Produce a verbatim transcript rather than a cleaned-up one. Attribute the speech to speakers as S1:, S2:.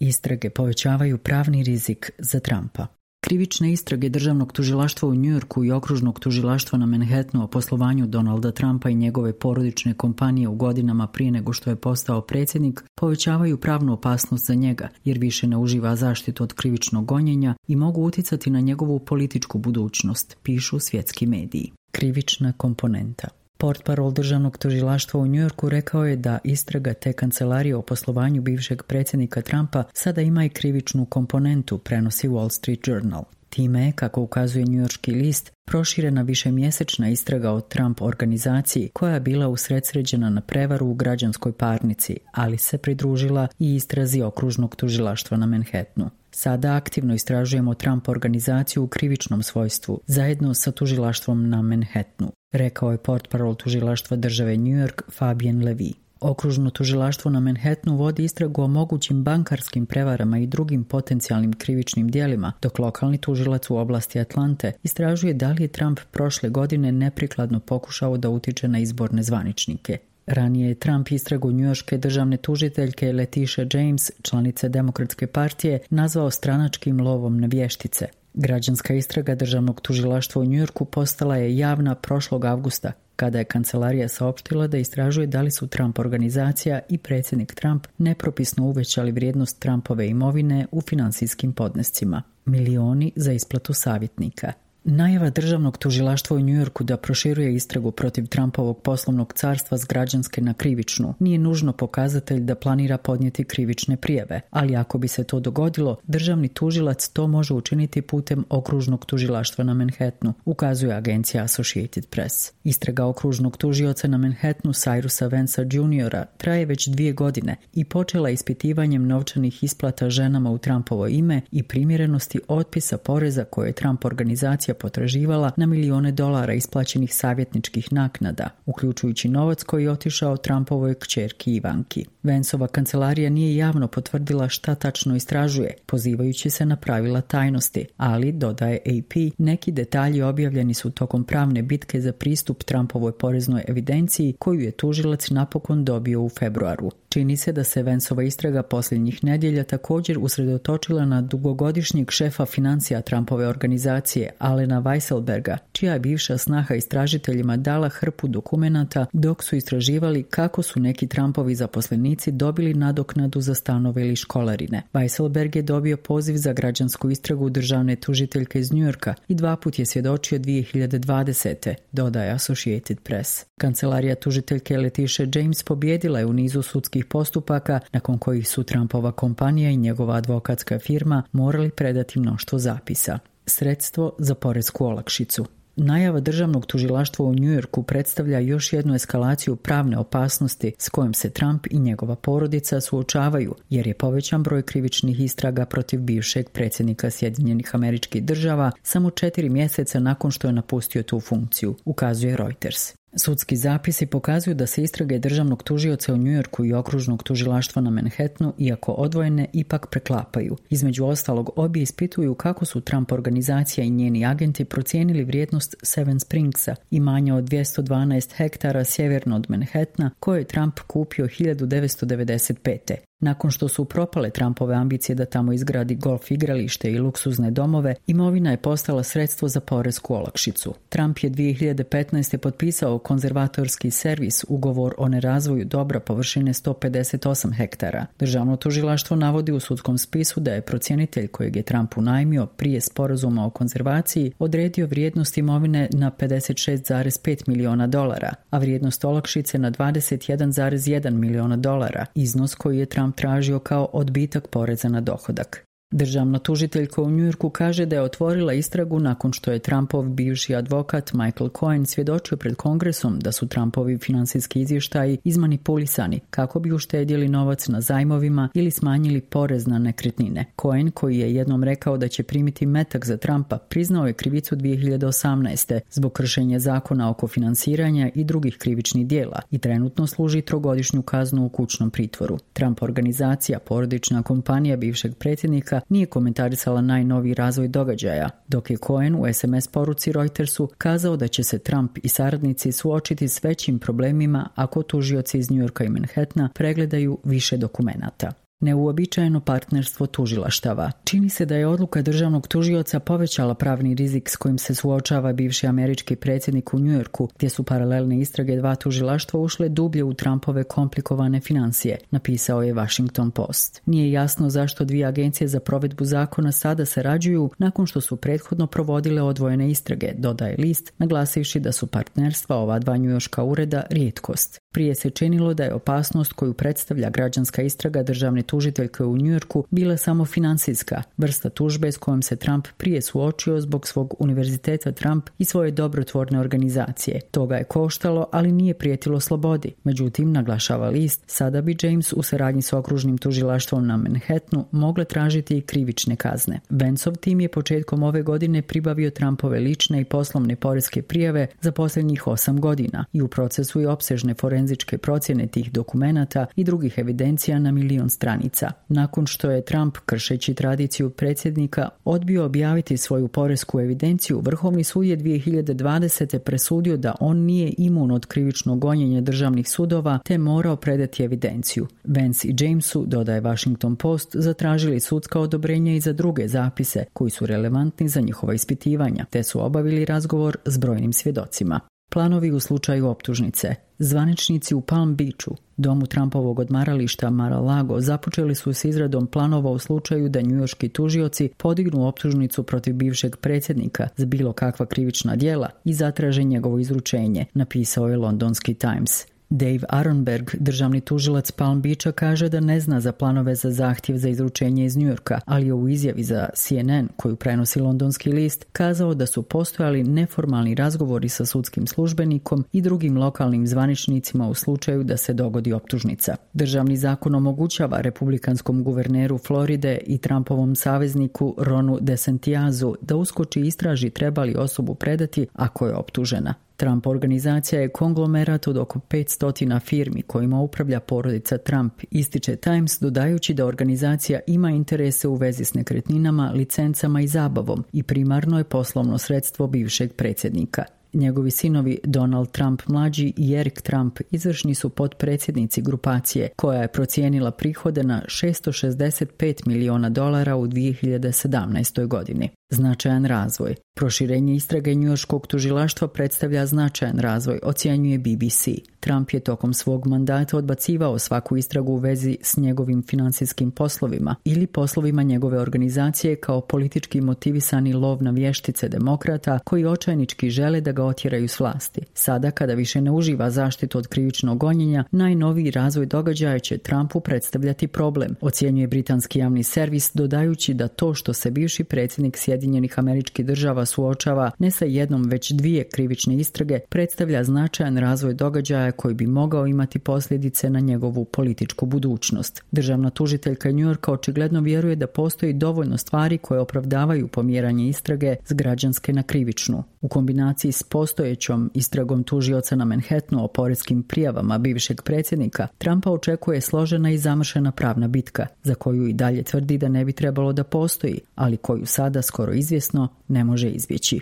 S1: Istrage povećavaju pravni rizik za Trumpa. Krivične istrage državnog tužilaštva u Njujorku i okružnog tužilaštva na Manhattanu o poslovanju Donalda Trumpa i njegove porodične kompanije u godinama prije nego što je postao predsjednik povećavaju pravnu opasnost za njega, jer više ne uživa zaštitu od krivičnog gonjenja i mogu uticati na njegovu političku budućnost, pišu svjetski mediji. Krivična komponenta. Portparol državnog tužilaštva u Njujorku rekao je da istraga te kancelarije o poslovanju bivšeg predsjednika Trumpa sada ima i krivičnu komponentu, prenosi Wall Street Journal. Time je, kako ukazuje njujorški list, proširena višemjesečna istraga o Trump organizaciji koja je bila usredsređena na prevaru u građanskoj parnici, ali se pridružila i istrazi okružnog tužilaštva na Manhattanu. Sada aktivno istražujemo Trump organizaciju u krivičnom svojstvu, zajedno sa tužilaštvom na Manhattanu, rekao je portparol tužilaštva države New York Fabian Levy. Okružno tužilaštvo na Manhattanu vodi istragu o mogućim bankarskim prevarama i drugim potencijalnim krivičnim djelima, dok lokalni tužilac u oblasti Atlante istražuje da li je Trump prošle godine neprikladno pokušao da utiče na izborne zvaničnike. Ranije je Trump istragu njujorške državne tužiteljke Letitia James, članice Demokratske partije, nazvao stranačkim lovom na vještice. Građanska istraga državnog tužilaštva u Njujorku postala je javna prošlog avgusta, kada je kancelarija saopštila da istražuje da li su Trump organizacija i predsjednik Trump nepropisno uvećali vrijednost Trumpove imovine u finansijskim podnescima. Milioni za isplatu savjetnika. Najava državnog tužilaštva u Njujorku da proširuje istragu protiv Trumpovog poslovnog carstva s građanske na krivičnu nije nužno pokazatelj da planira podnijeti krivične prijave, ali ako bi se to dogodilo, državni tužilac to može učiniti putem okružnog tužilaštva na Manhattanu, ukazuje agencija Associated Press. Istraga okružnog tužioca na Manhattanu Cyrusa Vance'a juniora traje već dvije godine i počela ispitivanjem novčanih isplata ženama u Trumpovo ime i primjerenosti otpisa poreza koje je Trump organizacija potraživala na milijone dolara isplaćenih savjetničkih naknada, uključujući novac koji je otišao Trumpovoj kćerki Ivanki. Vanceova kancelarija nije javno potvrdila šta tačno istražuje, pozivajući se na pravila tajnosti, ali, dodaje A P, neki detalji objavljeni su tokom pravne bitke za pristup Trumpovoj poreznoj evidenciji koju je tužilac napokon dobio u februaru. Čini se da se Vanceova istraga posljednjih nedjelja također usredotočila na dugogodišnjeg šefa financija Trumpove organizacije, Alena Weisselberga, čija je bivša snaha istražiteljima dala hrpu dokumenata dok su istraživali kako su neki Trumpovi zaposlenici dobili nadoknadu za stanove ili školarine. Weisselberg je dobio poziv za građansku istragu državne tužiteljke iz Njujorka i dva put je svjedočio dvije hiljade dvadesete, dodaje Associated Press. Kancelarija tužiteljke Letitia James pobjedila je u nizu sudskih postupaka nakon kojih su Trumpova kompanija i njegova advokatska firma morali predati mnoštvo zapisa. Sredstvo za poresku olakšicu. Najava državnog tužilaštva u Njujorku predstavlja još jednu eskalaciju pravne opasnosti s kojom se Trump i njegova porodica suočavaju, jer je povećan broj krivičnih istraga protiv bivšeg predsjednika Sjedinjenih Američkih Država samo četiri mjeseca nakon što je napustio tu funkciju, ukazuje Reuters. Sudski zapisi pokazuju da se istrage državnog tužioca u Njujorku i okružnog tužilaštva na Manhattanu, iako odvojene, ipak preklapaju. Između ostalog, obje ispituju kako su Trump organizacija i njeni agenti procijenili vrijednost Seven Springsa, imanja od dvjesto dvanaest hektara sjeverno od Manhattana, koje je Trump kupio hiljadu devetsto devedeset pete. Nakon što su propale Trumpove ambicije da tamo izgradi golf igralište i luksuzne domove, imovina je postala sredstvo za poresku olakšicu. Trump je dvije hiljade petnaeste. potpisao konzervatorski servis, ugovor o nerazvoju dobra površine sto pedeset osam hektara. Državno tužilaštvo navodi u sudskom spisu da je procjenitelj kojeg je Trump unajmio prije sporazuma o konzervaciji odredio vrijednost imovine na pedeset šest zarez pet miliona dolara, a vrijednost olakšice na dvadeset jedan zarez jedan miliona dolara, iznos koji je Trump tražio kao odbitak poreza na dohodak. Državna tužiteljka u Njujorku kaže da je otvorila istragu nakon što je Trumpov bivši advokat Michael Cohen svjedočio pred Kongresom da su Trumpovi financijski izvještaji izmanipulisani kako bi uštedjeli novac na zajmovima ili smanjili porez na nekretnine. Cohen, koji je jednom rekao da će primiti metak za Trumpa, priznao je krivicu dvije hiljade osamnaeste. zbog kršenja zakona oko finansiranja i drugih krivičnih djela i trenutno služi trogodišnju kaznu u kućnom pritvoru. Trump organizacija, porodična kompanija bivšeg predsjednika, nije komentarisala najnoviji razvoj događaja, dok je Cohen u S M S poruci Reutersu kazao da će se Trump i saradnici suočiti s većim problemima ako tužioci iz New Yorka i Manhattana pregledaju više dokumenata. Neuobičajeno partnerstvo tužilaštava. Čini se da je odluka državnog tužioca povećala pravni rizik s kojim se suočava bivši američki predsjednik u Njujorku, gdje su paralelne istrage dva tužilaštva ušle dublje u Trumpove komplikovane financije, napisao je Washington Post. Nije jasno zašto dvije agencije za provedbu zakona sada sarađuju nakon što su prethodno provodile odvojene istrage, dodaje list, naglasivši da su partnerstva ova dva njujorška ureda rijetkost. Prije se činilo da je opasnost koju predstavlja građanska istraga državne tužiteljke u Njujorku bila samo financijska, vrsta tužbe s kojom se Trump prije suočio zbog svog univerziteta Trump i svoje dobrotvorne organizacije. Toga je koštalo, ali nije prijetilo slobodi. Međutim, naglašava list, sada bi James u saradnji s okružnim tužilaštvom na Manhattanu mogle tražiti i krivične kazne. Vanceov tim je početkom ove godine pribavio Trumpove lične i poslovne poreske prijave za posljednjih osam godina i u procesu je opsežne forenzičke procjene tih dokumenata i drugih evidencija na milion stranica. Nakon što je Trump, kršeći tradiciju predsjednika, odbio objaviti svoju poresku evidenciju, Vrhovni sud je dvije hiljade dvadesete presudio da on nije imun od krivičnog gonjenja državnih sudova te morao predati evidenciju. Vance i Jamesu, dodaje Washington Post, zatražili sudska odobrenja i za druge zapise koji su relevantni za njihova ispitivanja, te su obavili razgovor s brojnim svjedocima. Planovi u slučaju optužnice. Zvaničnici u Palm Beachu, domu Trumpovog odmarališta Mar-a-Lago, započeli su s izradom planova u slučaju da njujorški tužioci podignu optužnicu protiv bivšeg predsjednika za bilo kakva krivična djela i zatraže njegovo izručenje, napisao je londonski Times. Dave Aronberg, državni tužilac Palm Beacha, kaže da ne zna za planove za zahtjev za izručenje iz Njujorka, ali je u izjavi za C N N, koju prenosi londonski list, kazao da su postojali neformalni razgovori sa sudskim službenikom i drugim lokalnim zvaničnicima u slučaju da se dogodi optužnica. Državni zakon omogućava republikanskom guverneru Floride i Trumpovom savezniku Ronu DeSantiasu da uskoči i istraži treba li osobu predati ako je optužena. Trump organizacija je konglomerat od oko petsto firmi kojima upravlja porodica Trump, ističe Times, dodajući da organizacija ima interese u vezi s nekretninama, licencama i zabavom i primarno je poslovno sredstvo bivšeg predsjednika. Njegovi sinovi Donald Trump mlađi i Eric Trump izvršni su potpredsjednici grupacije koja je procijenila prihode na šesto šezdeset pet miliona dolara u dvije hiljade sedamnaestoj godini. Značajan razvoj. Proširenje istrage njujorškog tužilaštva predstavlja značajan razvoj, ocjenjuje B B C. Trump je tokom svog mandata odbacivao svaku istragu u vezi s njegovim financijskim poslovima ili poslovima njegove organizacije kao politički motivisani lov na vještice demokrata koji očajnički žele da ga otjeraju s vlasti. Sada, kada više ne uživa zaštitu od krivičnog gonjenja, najnoviji razvoj događaja će Trumpu predstavljati problem, ocjenjuje britanski javni servis, dodajući da to što se bivši predsjednik Sjedinjenih Američkih Država suočava ne sa jednom već dvije krivične istrage predstavlja značajan razvoj događaja koji bi mogao imati posljedice na njegovu političku budućnost. Državna tužiteljka Njujorka očigledno vjeruje da postoji dovoljno stvari koje opravdavaju pomjeranje istrage s građanske na krivičnu. U kombinaciji s postojećom istragom tužioca na Manhattanu o poreskim prijavama bivšeg predsjednika, Trumpa očekuje složena i zamršena pravna bitka, za koju i dalje tvrdi da ne bi trebalo da postoji, ali koju sada skoro izvjesno ne može izbjeći.